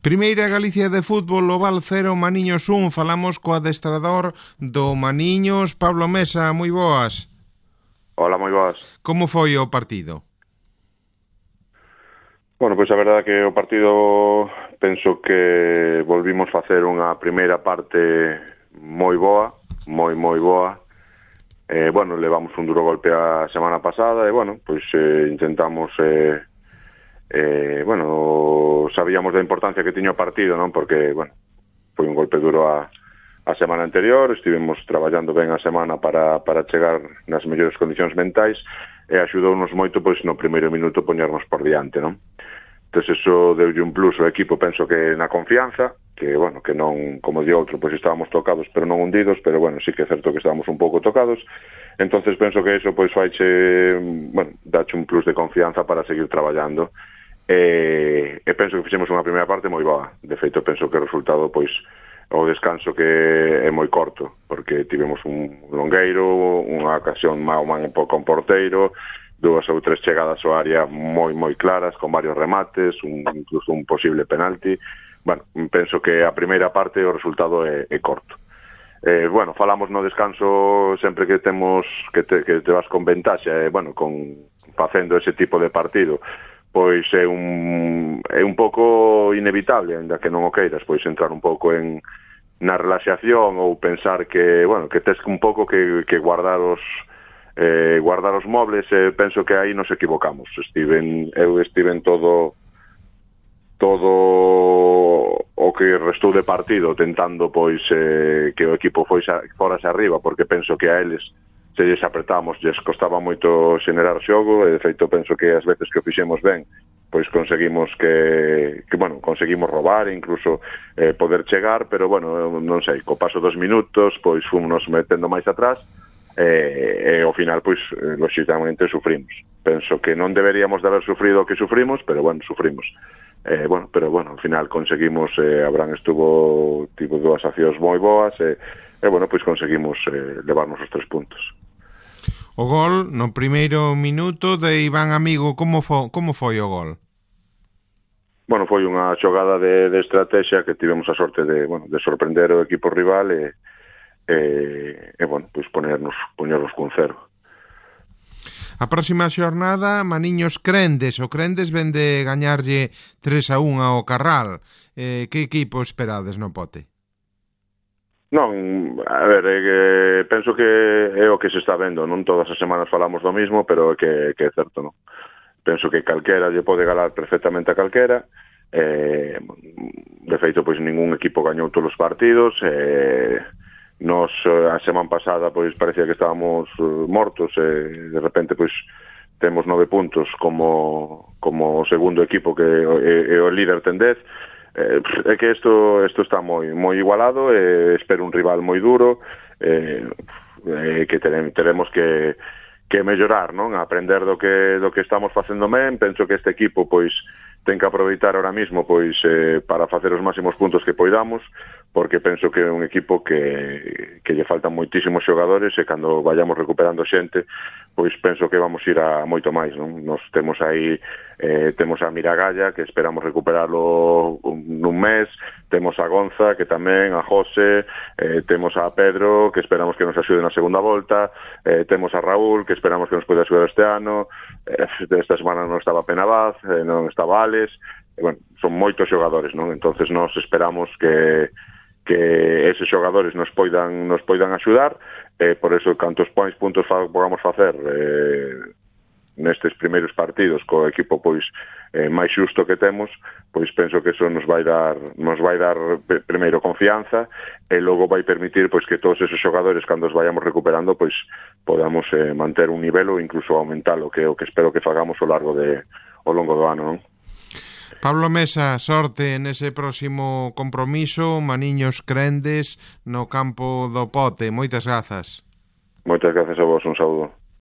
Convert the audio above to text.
Primeira Galicia de fútbol, Oval 0, Maniños 1. Falamos co adestrador do Maniños, Pablo Mesa. Moi boas. Hola, moi boas. Como foi o partido? Bueno, pois a verdade que o partido penso que volvimos facer unha primeira parte moi boa, moi boa. Bueno, levamos un duro golpe a semana pasada e, bueno, pois intentamos... bueno, sabíamos da importancia que tiña o partido, non? Porque, bueno, foi un golpe duro a semana anterior, estivemos traballando ben a semana para chegar nas mellores condicións mentais e axudounos moito, pois, no primeiro minuto poñernos por diante, non? Entón, eso deulle un plus ao equipo, penso que na confianza, que, bueno, que non, como di outro, pois estábamos tocados, pero non hundidos, pero, bueno, sí que é certo que estábamos un pouco tocados. Entonces penso que eso, pois, faiche, bueno, dache un plus de confianza para seguir traballando. E penso que fixemos unha primeira parte moi boa. De feito, penso que o resultado, pois, o descanso que é moi corto, porque tivemos un longueiro, unha ocasión man con porteiro, 2 ou 3 chegadas ao área moi claras, con varios remates, incluso un posible penalti. Bueno, penso que a primeira parte o resultado é corto. Bueno, falamos no descanso sempre que temos que te vas con ventaxa, bueno, facendo ese tipo de partido, pois é un pouco inevitable, ainda que non o queiras, pois entrar un pouco na relaxación ou pensar que, bueno, que tes un pouco que guardar os mobles. Penso que aí nos equivocamos. Eu estiven todo o que restou de partido tentando, pois, que o equipo forase arriba, porque penso que a eles se lles apretamos, lles costaba moito xenerar xogo, e de feito penso que as veces que o fixemos ben, pois conseguimos conseguimos robar e incluso poder chegar, pero, bueno, non sei, co paso dos minutos, pois fomos metendo máis atrás, e ao final, pois, lógicamente sufrimos. Penso que non deberíamos de haber sufrido o que sufrimos, pero, bueno, sufrimos. Pero, bueno, ao final conseguimos, Abraham tivo 2 accións moi boas, bueno, pois conseguimos levarnos os 3 puntos. O gol no primeiro minuto de Iván Amigo, como foi o gol? Bueno, foi unha xogada de estrategia que tivemos a sorte de sorprender o equipo rival e bueno, pois poñernos cun 0. A próxima xornada, Maniños Crendes. O Crendes ven de gañarlle 3-1 ao Carral. Que equipo esperades no pote? Non, a ver, penso que é o que se está vendo. Non todas as semanas falamos do mismo, pero que é certo, non? Penso que calquera lle pode galar perfectamente a calquera. De feito, pois ningún equipo gañou todos os partidos. Nos, a semana pasada, pois parecía que estábamos mortos, e de repente, pois temos 9 puntos como o segundo equipo, que é o líder ten 10. É que isto está moi igualado, e espero un rival moi duro, que teremos que mellorar, non? Aprender do que estamos facendo ben. Penso que este equipo, pois, ten que aproveitar ahora mismo, pois, para facer os máximos puntos que poidamos, porque penso que é un equipo que lle faltan moitísimos xogadores, e cando vayamos recuperando xente, pois penso que vamos ir a moito máis, non? Nos temos aí, temos a Miragalla, que esperamos recuperarlo nun mes, temos a Gonza, que tamén, a José, temos a Pedro, que esperamos que nos axude na segunda volta, temos a Raúl, que esperamos que nos poida axudar este ano, esta semana non estaba Penabaz, non estaba Alex, bueno, son moitos xogadores, non? Entonces nos esperamos que eses xogadores nos poidan axudar, por eso cantos puntos podamos facer nestes primeiros partidos co equipo, pois, máis xusto que temos, pois penso que eso nos vai dar primeiro confianza, e logo vai permitir, pois, que todos esos xogadores, cando os vayamos recuperando, pois podamos manter un nivel ou incluso aumentalo, que é o que espero que fagamos ao longo do ano, non? Pablo Mesa, sorte nese próximo compromiso, Maniños Crendes, no campo do Pote. Moitas grazas. Moitas grazas a vos, un saúdo.